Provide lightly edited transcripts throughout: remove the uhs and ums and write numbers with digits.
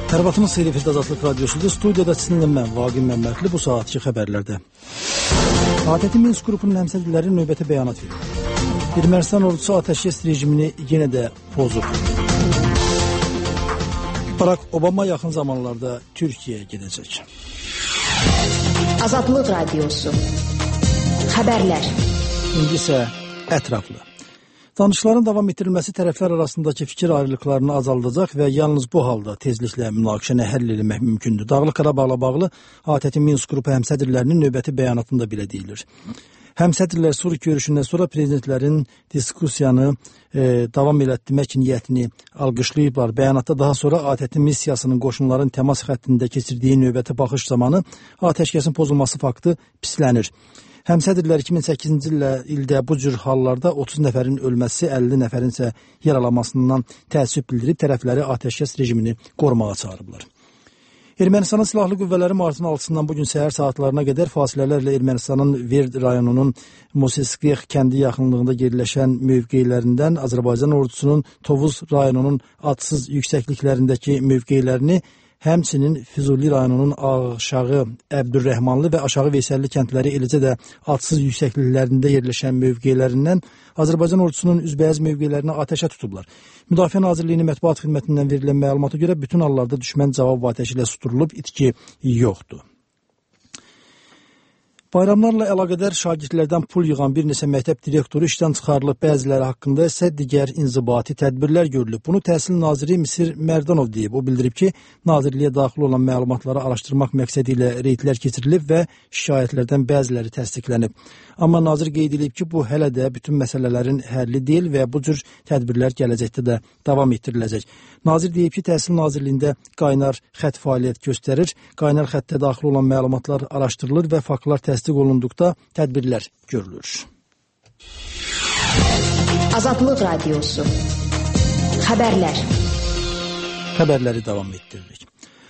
Tərbatımız Seyri Fildə Azadlıq Radyosudur. Studiyada sizinlə mən, Vaqim Məmmədli, bu saatki xəbərlərdə. ATƏT Minsk qrupunun həmsədrləri növbəti bəyanat verir. Ermənistan ordusu atəşkəs rejimini yenə də pozub. Barack Obama yaxın zamanlarda Türkiyəyə gedəcək. Azadlıq Radyosu. Xəbərlər. İndi isə ətraflı. Danışıqların davam etdirilməsi tərəflər arasındakı fikir ayrılıqlarını azaldacaq və yalnız bu halda tezliklə münaqişəni həll etmək mümkündür. Dağlıq Qarabağla bağlı ATƏT Minsk qrupu həmsədrlərinin növbəti bəyanatında belə deyilir. Həmsədrlər Suriya görüşündən sonra prezidentlərin diskussiyanı davam etdirmək niyyətini alqışlayıblar. Bəyanatda daha sonra ATƏT missiyasının qoşunların təmas xəttində keçirdiyi növbəti baxış zamanı atəşkəsin pozulması faktı pislənir. Həmsədrlər 2008-ci ildə bu cür hallarda 30 nəfərin ölməsi, 50 nəfərin isə yaralanmasından təəssüf bildirib tərəfləri atəşkəs rejimini qorumağa çağırıblar. Ermənistanın silahlı qüvvələri martın 6-sından bugün səhər saatlarına qədər fasilələrlə Ermənistanın Verd rayonunun Moseskix kəndi yaxınlığında yerləşən mövqelərindən Azərbaycan ordusunun Tovuz rayonunun adsız yüksəkliklərindəki mövqelərini, həmçinin Füzuli rayonunun aşağı Əbdürrəhmanlı və aşağı Veysəlli kəndləri, eləcə də adsız yüksəkliklərində yerləşən mövqelərindən Azərbaycan ordusunun üzbəyaz mövqelərinə atəşə tutublar. Müdafiə Nazirliyinin mətbuat xidmətindən verilən məlumata görə bütün hallarda düşmən cavab atəşi ilə susdurulub, itki yoxdur. Bayramlarla əlaqədar şagirdlərdən pul yığan bir neçə məktəb direktoru işdən çıxarılıb, bəziləri haqqında isə digər inzibati tədbirlər görülüb. Bunu Təhsil Naziri Misir Mərdanov deyib. O bildirib ki, Nazirliyə daxil olan məlumatları araşdırmaq məqsədi ilə reydlər keçirilib və şikayətlərdən bəziləri təsdiqlənib. Amma nazir qeyd edib ki, bu hələ də bütün məsələlərin həlli deyil və bu cür tədbirlər gələcəkdə də davam etdiriləcək. Nazir deyib ki, Təhsil Nazirliyində qaynar xətt fəaliyyət göstərir, qaynar xəttə daxil olan məlumatlar araşdırılır və faktlar təsdiq olunduqda tədbirlər görülür. Azadlıq Radyosu. Xəbərlər. Xəbərləri davam etdiririk.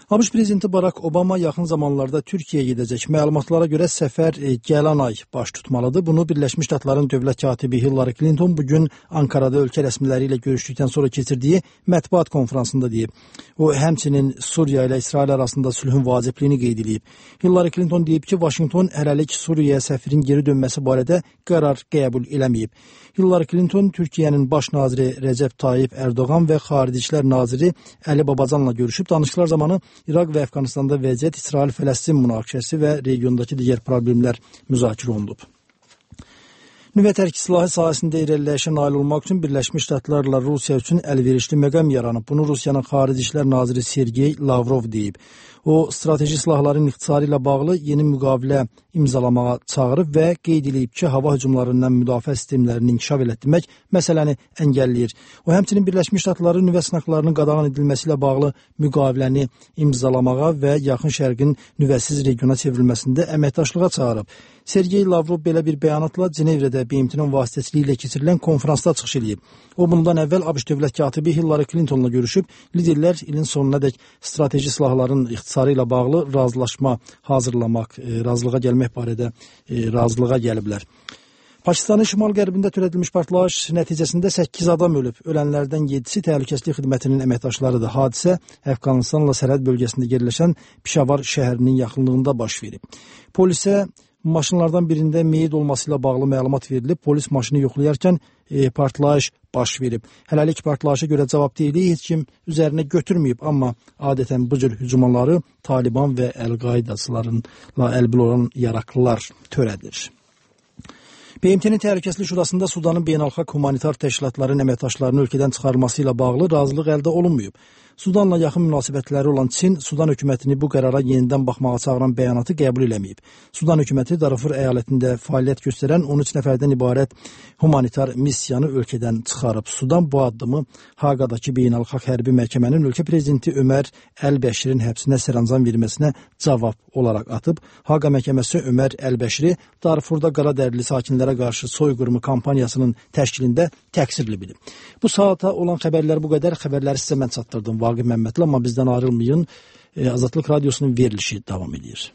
ABŞ prezidenti Barack Obama yaxın zamanlarda Türkiyəyə gedəcək. Məlumatlara görə səfər gələn ay baş tutmalıdır. Bunu Birləşmiş Ştatların dövlət katibi Hillary Clinton bugün Ankarada ölkə rəsmiləri ilə görüşdükdən sonra keçirdiyi mətbuat konfransında deyib. O, həmçinin Suriya ilə İsrail arasında sülhün vacibliyini qeyd edib. Hillary Clinton deyib ki, Vaşinqton hələlik Suriyaya səfirin geri dönməsi barədə qərar qəbul eləməyib. Hillary Clinton Türkiyənin baş naziri Rəcəb Tayyip Erdoğan və Xarici İşlər naziri Əli Babacanla görüşüb. Danışıqlar zamanı İraq və Əfqanistanda vəziyyət, İsrail-Fələstin münaqişəsi və regiondakı digər problemlər müzakirə olunub. Nüvə tərki silahı sahəsində irəliləyişə nail olmaq üçün Birləşmiş Ştatlarla Rusiya üçün əlverişli məqam yaranıb. Bunu Rusiyanın Xarici İşlər naziri Sergey Lavrov deyib. O, strateji silahların ixtisarı ilə bağlı yeni müqavilə imzalamağa çağırıb və qeyd edib ki, hava hücumlarından müdafiə sistemlərini inkişaf etdirmək məsələni əngəlləyir. O, həmçinin Birləşmiş Ştatların nüvə sınaqlarının qadağan edilməsi ilə bağlı müqaviləni imzalamağa və Yaxın Şərqin nüvəsiz regiona çevrilməsində əməkdaşlığa çağırıb. Sergey Lavrov belə bir bəyanatla Cenevrədə BMT-nin vasitəsilə ilə keçirilən konfransda çıxış edib. O, bundan əvvəl ABŞ dövlət katibi Hillary Clintonla görüşüb, liderlər ilin sonunadək strateji silahların ixtisarı ilə bağlı razılaşma hazırlamaq, razılığa gəlmək barədə razılığa gəliblər. Pakistanın şimal-qərbində törədilmiş partlayış nəticəsində 8 adam ölüb. Ölənlərdən 7-si təhlükəsizlik xidmətinin əməkdaşlarıdır. Hadisə Əfqanistanla sərhəd bölgəsində yerləşən Pişavar şəhərinin yaxınlığında baş verib. Polisə maşınlardan birində meyit olması ilə bağlı məlumat verilib. Polis maşını yoxlayarkən partlayış baş verib. Hələlik partlayışa görə cavabdehliyi heç kim üzərinə götürməyib, amma adətən bu cür hücumları Taliban və Əl-Qaidacılarla əlbil olan yaraqlılar törədir. BMT-nin Təhlükəsizlik Şurasında Sudanın beynəlxalq humanitar təşkilatların əməkdaşlarının ölkədən çıxarılması ilə bağlı razılıq əldə olunmayıb. Sudanla yaxın münasibətləri olan Çin, Sudan hökumətini bu qərara yenidən baxmağa çağıran bəyanatı qəbul eləməyib. Sudan hökuməti Darfur əyalətində fəaliyyət göstərən 13 nəfərdən ibarət humanitar missiyanı ölkədən çıxarıb. Sudan bu addımı Haqadakı beynəlxalq hərbi məhkəmənin ölkə prezidenti Ömər Əl-Bəşirin həbsinə sərəncam verməsinə cavab olaraq atıb. Haqa məhkəməsi Ömər Əl-Bəşiri Darfurda qaradərili sakinlərə qarşı soyqırımı kampaniyasının təşkilində təqsirli bilib. Bu saata olan xəbərlər bu qədər. Xəbərləri sizə mən çatdırdım. Vaqim Məmmədli, amma bizdən ayrılmayın. Azadlıq Radyosunun verilişi davam edir.